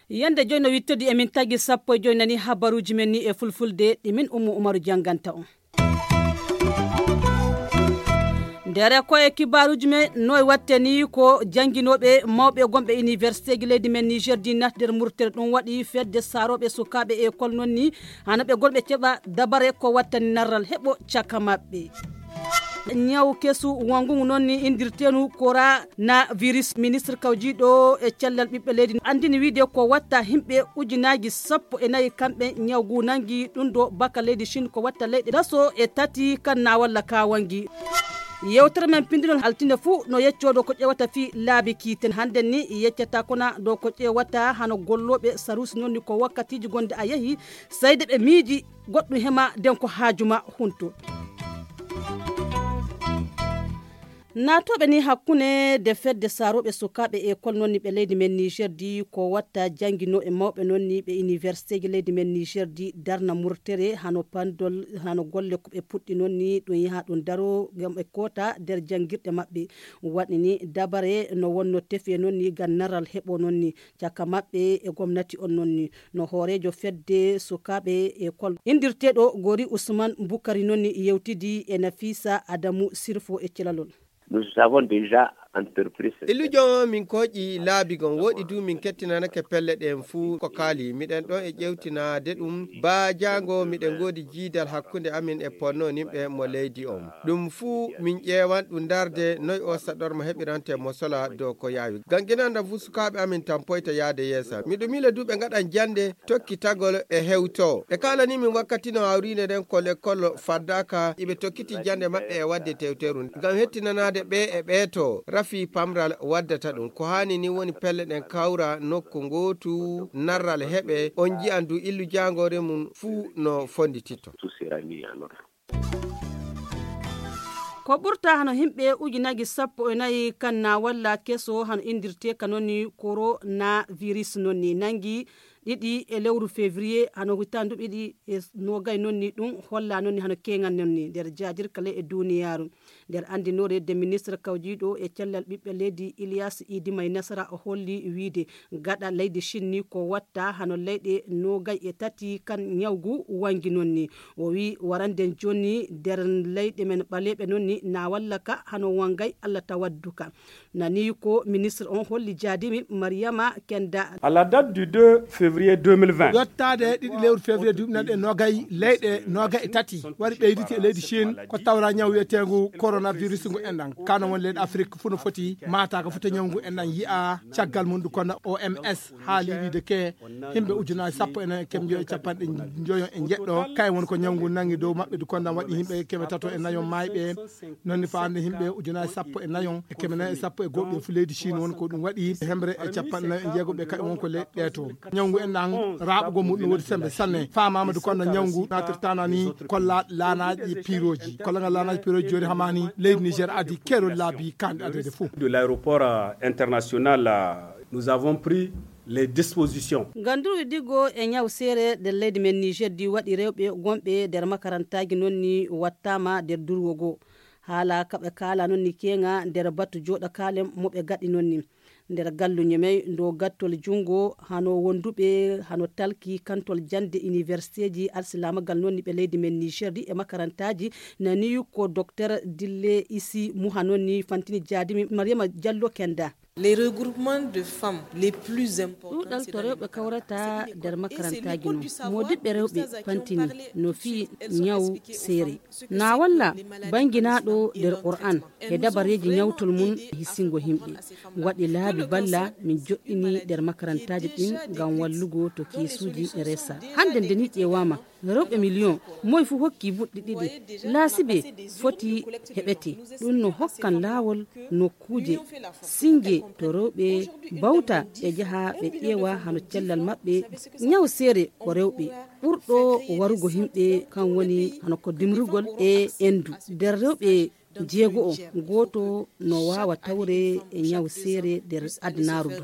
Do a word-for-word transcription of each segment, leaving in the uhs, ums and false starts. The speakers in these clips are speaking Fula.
Yande joyi no wittodi emin tagi sappo e joyi nani habaruuji men ni e fulfulde ɗi min Ummu Umaru jannganta on. Ndere ko e kibaaruuji men noy watte ni ko jannginooɓe mawɓe gonɓe universitéji leydi men Niger di nat nder murtere ɗum waɗi fedde saarooɓe sukaaɓe école noon ni hano ɓe gonɓe keɓa dabare ko wattani narral heɓo caka maɓɓe. Ñaw kesu wongungu noon ni indirteenu kora na virus ministre kawjiiɗo e cellal ɓiɓɓe leydi andini wiide ko watta himɓe ujunaaji sappo e nayi kamɓe ñaw ngu nangi ɗum ɗo baka leydi Chine ko watta leyɗe daso e tati kan na walla ka wangi. Yewtere men pindinol altine fuu no yeccoo ɗo ko ƴewata fii laabi kiite hannden ni yeccata kona ɗo ko ƴewata hano gollooɓe sarusi noon ni ko wakkatiiji gonde a yehi sayde ɓe miiji goɗɗum hema den ko haaju ma hunto. Naatooɓe ni hakkunde de fedde saarooɓe sukaaɓe école noon ni ɓe leydi men Niger di ko watta jannginoo e mawɓe noon ni ɓe universitéji leydi men Niger di darna murtere hano pandol hano golle ko ɓe puɗɗi noon ni ɗum yaha ɗum daro ngam ɓe koota nder janngirɗe maɓɓe waɗi ni dabare no wonno tefe noon ni ngam naral heɓo noon ni caka maɓɓe e gomnati on noon ni no hooreejo fedde sukaaɓe école indirteeɗo gori Usman Bukari noon ni yewtidi e Nafisa Adamu Sirfo e celalol. Nous avons déjà entrepris ce... Illujo on min kooƴi laabi gon woɗi du min kettinanake pelle ɗen fuu ko kaali miɗen ɗon e ƴewtinaade ɗum ba jaango miɗen ngoodi jiidal hakkunde amin e ponno nimɓe mo leydi on ɗum fuu min ƴeewan ɗum darde noy o saɗorma heɓirante mo sola dow ko yaawi ganginanda fuu sukaaɓe amin tampoyta yaade yeesa miɗo miila du ɓe ngaɗan jannde tokkitagol e hewto ɓe kaalani min wakkati no hawriinde nden ko lekkol faddaaka iɓe tokkiti jannde maɓɓe e waɗde tewteru ngam hettinanaade ɓe e ɓeeto rafi pamral waddata ɗum ko haani ni woni pelle ɗen kawra nokku ngootu narral heɓe on njiyan du illu jaangoore mum fuu no fonndititto. Ko ɓurta hano himɓe ujunaaji sappo e nayi kan na walla keso hano indirte ka noon ni coronavirus noon ni nangi ɗiɗi e lewru février hano hitandu ɗiɗi e nogay noon ni ɗum holla noon ni hano keŋal noon ni nder jajirkale e duniyaaru nder anndinoore de ministre kawjiiɗo e cellal ɓiɓɓe leydi Ilias Idi May Nasara o holli wiide gaɗa leydi Chine ni ko watta hano leyɗe nogay e tati kan ñawgu wangi noon ni o wi warande jooni nder leyɗe men ɓaleeɓe noon ni na walla ka hano wangay Allah tawaddu ka nani ko ministre on holli jaadimi Mariama Kenda. À la date du deux février deux mille vingt. Yottaade ɗiɗi lewru février duuɓi nan e nogay leyɗe nogay e tati waɗi ɓeyditi e leydi Chine ko tawra ñaw wiyeteengu coronavirus ngu enɗan kano woni leyɗe Afrique fuu no foti maataaka fota ñaw ngu enɗan yi'a caggal mum ɗum kono O M S haali wiide ke himɓe ujunaaji sappo e nayo e keme njoyo e capanɗe njoyo e jeɗɗo kayen woni ko ñaw ngu nangi dow maɓɓe du kondan waɗi himɓe keme tato e nayo mayɓe noon ni faande himɓe ujunaaji sappo e nayo e keme nayo e sappo e goho ɓe fu leydi Chine woni ko ɗum waɗi hemre e capanɗe nayo e jeego ɓe kayen won ko leyɗe ɗe to ñaw ngu en ɗan raaɓugol muɗum no woodi sembe sanne faamaama du kondan ñaw ngu natirtana ni kolla laanaaji piroji kolla ngal laanaaji piroji jooni hamaani leydi Niger adi keerol laabi kanɗe adede fuu. De l'aéroport international nous avons pris les dispositions. Ngam durwi diggo e ñaw seere nder leydi men Niger di waɗi rewɓe gonɓe nder makarantaaji noon ni wattaama nder durwo goo. Haala kaɓe kaala noon ni keeŋa nder batu jooɗa kaalen mo ɓe gaɗi noon ni. Nder galluñe may ndo gattol junngo hano wonduɓe hano talki kantol jannde iniwersteeji alsilaamagal noon ni ɓe leydi men Niger di e makarantaaji nani ko Doktor Dille Isi Muha noon ni fantini jaadimi Mariama Jallo Kenda. Les regroupements de femmes les plus importants ɗuuɗal to rewɓe kawrata nder makarantaaji noon moodiɓɓe rewɓe fantini no fii ñaw seere na walla bannginaaɗo nder qur'an e dabareeji ñawtol mum e hissingo yimɓe waɗi laabi balla min joɗɗini nder makarantaaji ɗin ngam wallugo to keesuuji resa hannde nde ni ƴeewaama rewɓe miliyon moy fuu hokki buɗɗi ɗiɗi laasibe foti heɓete ɗum no hokkan laawol nokkuuje singe to rewɓe bawta ɓe njaha ɓe ƴeewa hano cellal maɓɓe ñaw seere ko rewɓe ɓurɗo warugo yimɓe kan woni hano ko dimrugol e endu nder rewɓe Jeego o gooto no waawa tawre e ñaw seere nder adunaaru ndu.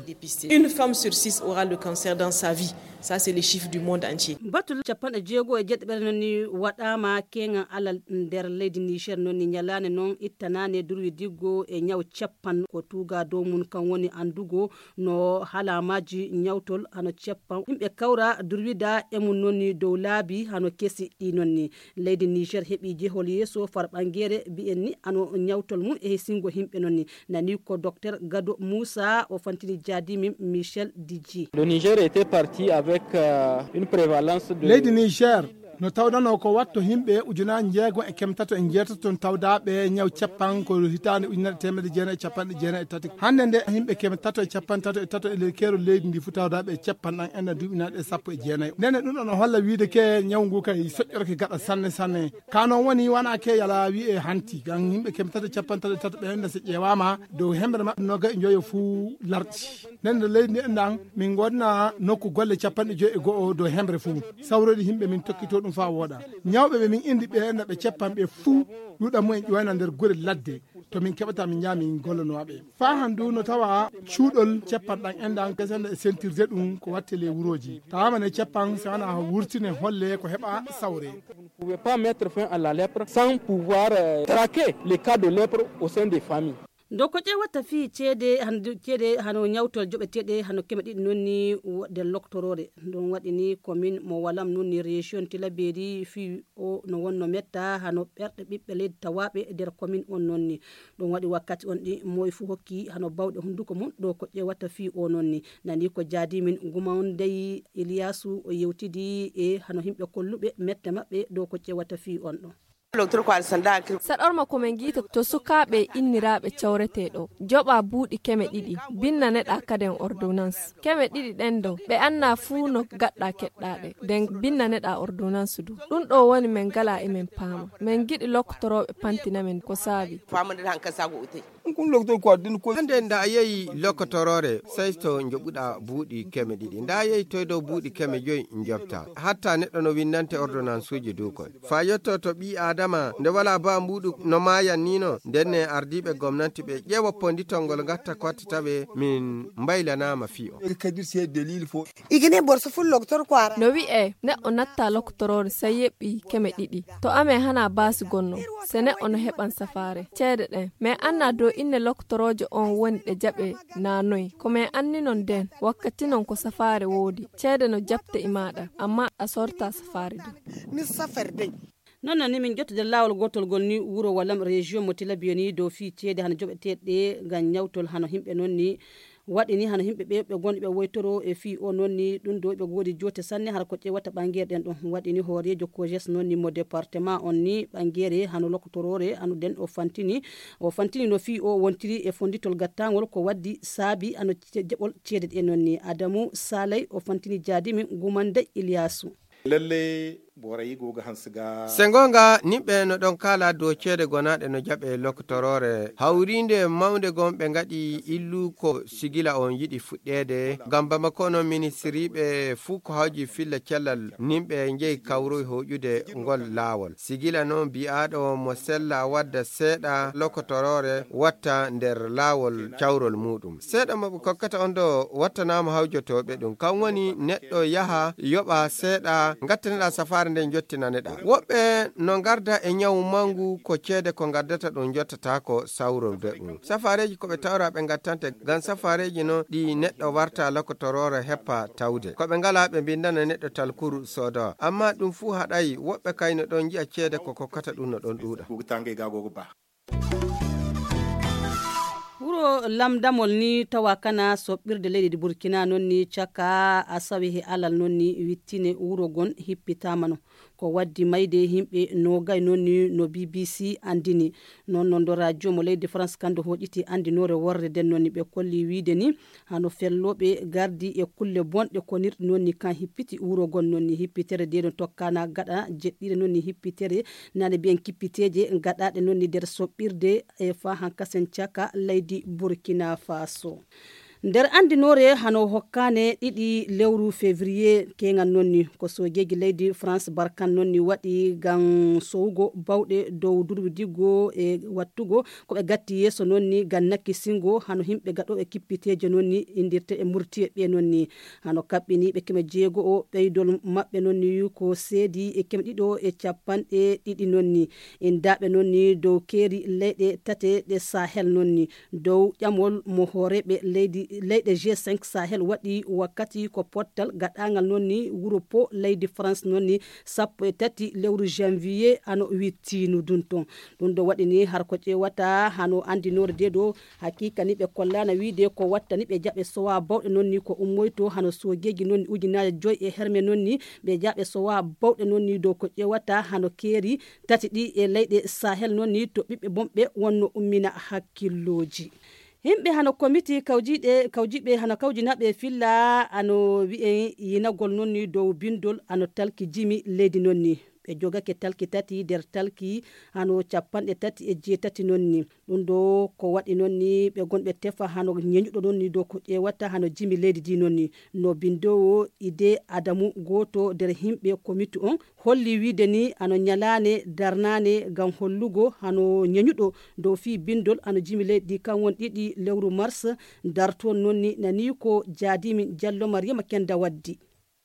Une femme sur six aura le cancer dans sa vie. Ça, c'est les chiffres du monde entier. Batol capanɗe jeego e jeɗɗo ɓere noon ni waɗaama keeŋan alal nder leydi Niger. Noon ni ñalaande noon ittanaane durwi diggo e ñaw cappan ko tuuga dow mum kan woni anndugo no halaamaaji ñawtol hano cappan yimɓe kawra durwida e mum noon ni dow laabi hano kesi ɗi noon ni. Leydi Niger heɓi jehol yeeso far ɓangeere mbiyen ni ano ñawtol mum e hesingo yimɓe noon ni. Nani ko Docteur Gado Moussa o fantini jaadi min Michel Didji. Le Niger était parti avec euh, une prévalence de leydi Niger no tawdanoo ko watto yimɓe ujunaaji njeego e keme tato e njeetato toon tawdaaɓe ñaw cappan ko hitaande ujunere teemedde jeenayi e capanɗe jeenayi e tati. Hannde nde yimɓe keme tato e capanɗe tato e tato e ley keerol leydi ndi fof tawdaaɓe e cappan ɗan enna duuɓinaaɗe e sappo e jeenayi. Ndene ɗum ɗo no holla wiide ke ñaw ngu kay soƴƴorke gaɗa sanne sanne. Ka noon woni wona ke yala wiye hanti kan yimɓe keme tato e capanɗe tato e tato ɓe enna so ƴeewaama dow hemre maɓɓe noga e joyo fuu larɗi. Nden no leydi ndi enɗan min ngonno nokku golle capanɗe joyi e go'o dow hemre fuu. Sawroɗi yimɓe min tokkito ɗum faa wooɗa. Ñawɓe ɓe min indi ɓe no ɓe ceppan ɓe fuu ɗuuɗa mumen ƴoyna nder gure ladde to min keɓata min njaha min gollanowa ɓe. Faa han du no tawa cuuɗol ceppan ɗan enɗan kesende e sentirde ɗum ko watte ley wurooji. Tawama ne ceppan si wona wurtine holle ko heɓa sawre. Vous ne pouvez pas mettre fin à la lèpre sans pouvoir euh, traquer les cas de lèpre au sein des familles. Ndo ko ƴeewata fii ceede han- ceede hano ñawtol joɓeteeɗe hano keme ɗiɗi noon ni wo- nder loktoroore. Ɗum waɗi ni commune mo walam noon ni région tilaberi fii o no wonno metta hano ɓerɗe ɓiɓɓe leydi tawaaɓe nder commune on noon ni. Ɗum waɗi wakkati on ɗi moy fuu hokki hano bawɗe hunnduko mum ɗo ko ƴeewata fii o noon ni. Nani ko jaadi min guma on dey iliyasu o yewtidi e hano yimɓe kolluɓe mette maɓɓe ɗo ko ƴeewata fii on ɗo. Saɗorma ko men ngiita to sukaaɓe inniraaɓe cawretee ɗo joɓa buuɗi keme ɗiɗi binnaneɗa kaden ordonnance keme ɗiɗi ɗen ɗo ɓe anna fuu no gaɗɗa keɗɗaɗe nden binnaneɗa ordonnance du. Ɗum ɗo woni men ngala e men paama men giɗi loktorooɓe pantina men ko saabi. Hande nda a yehi lokotoroore sai to joɓuɗa buuɗi keme ɗiɗi nda a yehi toy dow buuɗi keme joyi joɓta hatta neɗɗo no windante ordonnansuji du koy fa yetto to ɓi adama nde wala ba mbuɗu no mayan nino ndenne ardiɓe gomnanti ɓe ƴeewa ponditol ngol gatta ko watta tawe min mbaylanama fii o. Igine borso ful loktor ko ara. No wi'e neɗɗo natta lokotoroore sai yeɓɓi keme ɗiɗi to amen hana baasi gonno. Se neɗɗo no heɓan safaare ceede ɗen men anna dow inne lokotoroojo on woni ɗe jaɓe na noy ko men anninon nden wakkati non ko safaare woodi ceede no jaɓte e maaɗa amma a sorta safaare du. Min safare dey. Non non ni min jottude laawol gootol ngol ni wuro walam région mo tilabiyoni dow fii ceede hano joɓeteeɗe ngam ñawtol hano yimɓe noon ni. Waɗi ni hano yimɓe ɓe ɓe gonɓe woytoro e fii o noon ni ɗum ɗo ɓe goodi joote sanne hara ko ƴeewata ɓangeer ɗen ɗum waɗi ni hooreejo kojes noon ni mo département on ni ɓangeere hano lokotoroore hano den o fantini o fantini no fii o wontiri e fonditol gattangol ko waddi saabi hano ce- jeɓol ceede ɗe noon ni adamu salay o fantini jaadimi gumande iliyasu. Lalle borayi goga hansiga. Se ngonga nimɓe no ɗon kala dow ceede gonaɗe no jaɓe loktorore hawrinde mawnde gon ɓe ngaɗi illu ko sigila on yiɗi fuɗɗeede ngam bamako no ministiriɓe fuu ko hawji filla cellal nimɓe njeyi kawroy hoƴude ngol laawol sigila noon bi'aɗo mo sella wadda seeɗa loktorore watta nder laawol cawrol muɗum seeɗa mo ɓe kokkata on ɗo wattanama hawjotoɓe ɗum kan woni neɗɗo yaha yoɓa seeɗa gattaneɗa safaare nde jottinaneɗa woɓɓe no garda e ñawu mangu ko ceede ko gardata ɗum jottatako sawrorde ɗum safareji koɓe tawra ɓe gattante ngam safareji noon ɗi neɗɗo warta lokotorore heppa tawde koɓe ngala ɓe mbindana neɗɗo talkuru soodowa amma ɗum fuu haɗayi woɓɓe kay no ɗon nji'a ceede ko kokkata ɗum no ɗon ɗuuɗa. Wuro lamdamol ni tawa kana soɓɓirde leydi burkina noon ni caka a sawi he alal noon ni wittine wuro gon hippitamano ko waddi mayde yimɓe nogay noon ni no bbc andini noon noon do radio mo leydi france kando hoƴiti andinore worre den noon ni ɓe kolli wiide ni hano fellooɓe gardi e kulle bonɗe konirɗe noon ni kan hippiti wuro gon noon ni hippitere de no tokkana gaɗa jeɗɗire noon ni hippitere nane mbiyen kippiteeje gaɗaaɗe noon ni nder soɓɓirde e fa hankasen caka leydi burkina faso. Nder anndinoore hano hokkaane ɗiɗi lewru février keŋal noon ni, ko soojeeji leydi France barkan noon ni waɗi ngam sowugo bawɗe dow durwidigo e wattugo ko ɓe gatti yeeso noon ni ngam nakkisingo hano yimɓe gaɗooɓe kippiteeje noon ni indirte e murtiye ɓe noon ni. Hano kaɓɓiniiɓe keme jeego o ɓeydol maɓɓe noon ni ko seedi e keme ɗiɗo e capanɗe ɗiɗi noon ni. Indaaɓe noon ni dow keeri leyɗe tate ɗe Sahel noon ni. Dow ƴamol mo hooreeɓe leydi, leyɗe G cinq Sahel waɗi wakkati ko pottal gaɗaaŋgal noon ni wuro po leydi France noon ni sappo e tati lewru janvier ano wittinu dun ton. Ɗum ɗo waɗi ni har ko ƴeewata hano anndinoore de ɗo hakiika ni ɓe kollaana wiide ko watta ni ɓe jaɓe sowa bawɗe noon ni ko ummoyto hano soojeeji noon ni ujunaaje joy e herme noon ni ɓe jaɓe sowa bawɗe noon ni dow ko ƴeewata hano keeri tati ɗi e leyɗe Sahel noon ni to ɓiɓɓe bonɓe wonno ummina hakkillooji. Yimɓe hano komiti kawjiɗe, kawjiɓe hano kawjinaɓe filla ano wi'en yinagol noon ni dow bindol ano talki jimi leydi noon ni. Ɓe jogake talki tati nder talki hano capanɗe tati e jeetati noon ni. Ɗum ɗo ko waɗi noon ni ɓe gonɓe tefa hano ñeñuɗo noon ni dow ko ƴeewata hano jimi leydi ndi noon ni. No bindoowo Ide Adamu gooto nder yimɓe komiti on holli wiide ni ano ñalaane darnaane ngam hollugo hano ñeñuɗo dow fii bindol ano jimi leydi ndi kan won ɗiɗi lewru mars dartoon noon ni nani ko jaadimin Jallo Mariama Kenda waddi.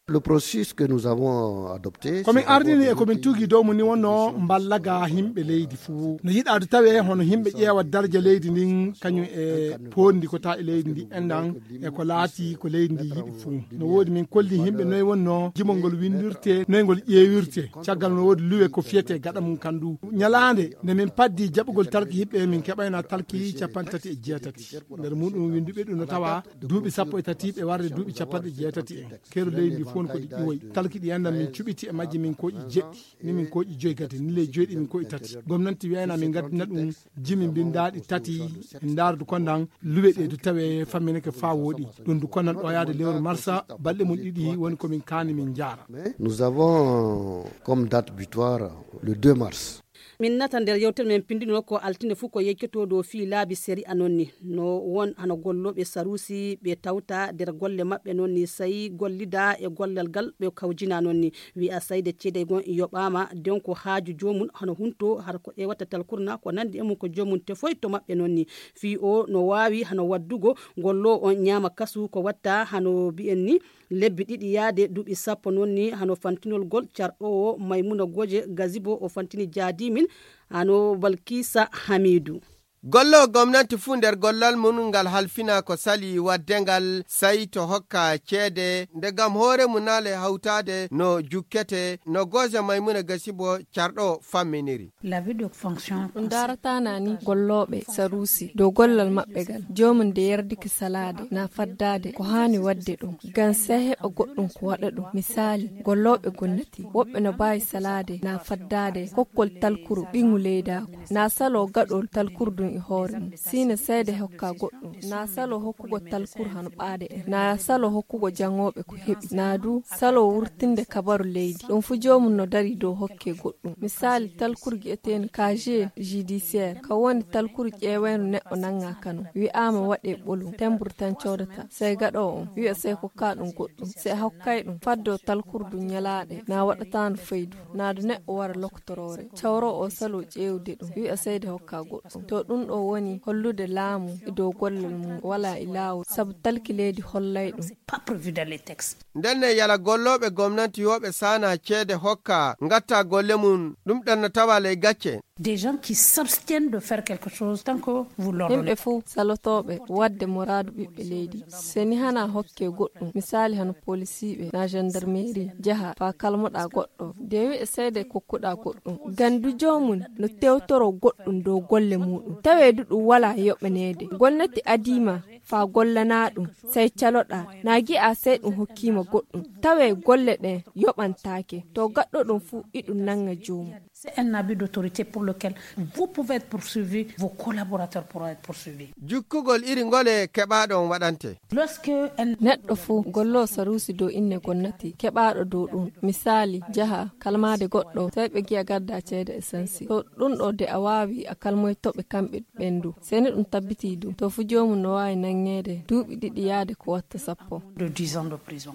Le processus que nous avons adopté, komin ardini e komin tugi dow mum ni wonno mballaga yimɓe leydi fuu no yiɗaade tawe hono yimɓe ƴeewa darja leydi ndin kañum e pondi ko ta e leydi ndi enɗan e ko laati ko leydi ndi yiɗi fuu. No woodi min kolli yimɓe noy wonno jimol ngol windirte, noy ngol ƴeewirte. Caggal no woodi luwe ko fiyete gaɗa mum kandu. Ñalaande nde min paddi jaɓugol talki yiɓɓe min keɓayna talki capanɗe tati e jeetati. Nder muɗum winduɓe ɗum no tawa duuɓi sappo e tati ɓe warde duuɓi capanɗe jeetati en. Keeru leydi ndi fof ko ɗi ƴiwoyi. Talki ɗi enɗan min cuɓiti e majji min koƴi jeɗɗi. Ni min koƴi joyi gadi, ni ley joyi ɗi min koƴi tati. Gomnanti wiyayna min ngaddina ɗum jimi mbindaɗi tati, en ndaara du kondan luwe ɗe du tawe fammineke fa woɗi. Ɗum du kondan ɗo yaade lewru marsa, balɗe mum ɗiɗi woni ko min kaani min njaara. Nous avons comme date butoir le deux mars. Min nata nder yewtere men pindino ko altine fuu ko yeccoto dow fii laabi sariya non ni. No won hano gollooɓe sarusi ɓe tawta nder golle maɓɓe non ni, sai gollida e gollal gal ɓe kawjina non ni. Wi'a sayde ceede gon yoɓaama, den ko haaju joomum hano hunto har ko ƴeewata talkurna ko nandi e mum ko joomum tefoy to maɓɓe non ni. Fii o no waawi hano waddugo golloowo on ñaama kasu ko watta hano bi'en ni. Lebbi ɗiɗi yaade duuɓi sappo non ni hano fantinol gol carɗoowo Maymuna Goje Gazibo o fantini jaadimin hano Balkisa Hamidu. Golloowo gomnanti fuu nder gollal mum ngal halfina ko sali wadde ngal sai to hokka ceede nde gam hoore mum naale hawtaade no jukkete no Goje Maymuna Gasibo carɗo famminiri. Ɗum daarataana ni gollooɓe saruusi dow gollal maɓɓe ngal. Joomum nde yerdike salaade na faddaade ko haani waɗde ɗum. Ngam sey heɓa goɗɗum ko waɗa ɗum. Misaali, gollooɓe gomnati, woɓɓe no mbaawi salaade na faddaade kokkol talkuru ɓiŋu leydaaku. Na saloo gaɗol talkuru ɗum e hoore mum. Siine seede hokka goɗɗum. Na saloo hokkugo talkuru hano ɓaade en. Na saloo hokkugo jaŋooɓe ko heɓi. Na du saloo wurtinde kabaru leydi. Ɗum fu joomum no darii dow hokke goɗɗum. Misaali, talkuru gi'eteendu casier judiciaire, ka woni talkuru ƴeewayndu neɗɗo naŋŋa kanu. Wi'aama waɗee ɓolum, temburu tan codata. Sey gaɗoowo on wi'a sey kokkaa ɗum goɗɗum. Sey hokkay ɗum. Faddoo talkuru ɗum ñalaaɗe, na waɗataandu faydu. Na du neɗɗo wara lokotoroore. Cawroowo o saloo ƴeewde ɗum. Wi'a sey de hokkaa goɗɗum. To ɗum ɗo woni hollude laamu e dow gollal mum walaa e laawol, sabu talki leydi hollay ɗum. Pas prévu dans les textes. Ndenne yala gollooɓe gomnanti yooɓe saana ceede hokka ngatta golle mum, ɗum ɗan no tawa ley gacce. Des gens qui s'abstiennent de faire quelque chose tant que vous l'ordonnez. Yimɓe fuu salotooɓe waɗde moraadu ɓiɓɓe leydi. Seni hana hokke goɗɗum, misaali hano polisiiɓe na gendarmerie, jaha faa kalmoɗaa goɗɗo. De wi'e seede kokkuɗaa goɗɗum. Gandu joomum no tewtoroo goɗɗum dow golle muuɗum. Tawee du ɗum walaa yoɓaneede. Gomnati adiima faa gollanaa ɗum, sey caloɗaa. Na gi'aa sey ɗum hokkiima goɗɗum. Tawee golle ɗen yoɓantaake. To gaɗɗo ɗum fuu iɗum naŋŋa joomum. C'est un abus d'autorité pour lequel vous pouvez être poursuivi, vos collaborateurs pourront être poursuivis. Jukkugol iri ngole keɓaaɗo on waɗante. Lorsque un neɗɗo fuu golloo saruusi dow inne gomnati keɓaaɗo dow ɗum. Misaali, jaha kalmaade goɗɗo, sey ɓe gi'a gaddaa ceede esansi. To ɗum ɗo de a waawi a kalmoyto ɓe kamɓe ɓen du. Seni ɗum tabbitii du, to fu joomum no waawi Ŋeede duuɓi ɗiɗi yaade ko watta sappo.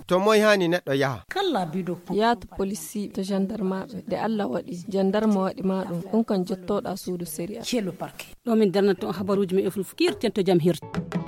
To moy haani neɗɗo yaha? Yaha to polisiiɓe, to jandarmaaɓe. Nde Allah waɗi jandarma waɗi ma ɗum, ɗum kan jottooɗa suudu sériya. Ɗo min darnata on habaruuji men e fulfulde, kiirten to jam hirta.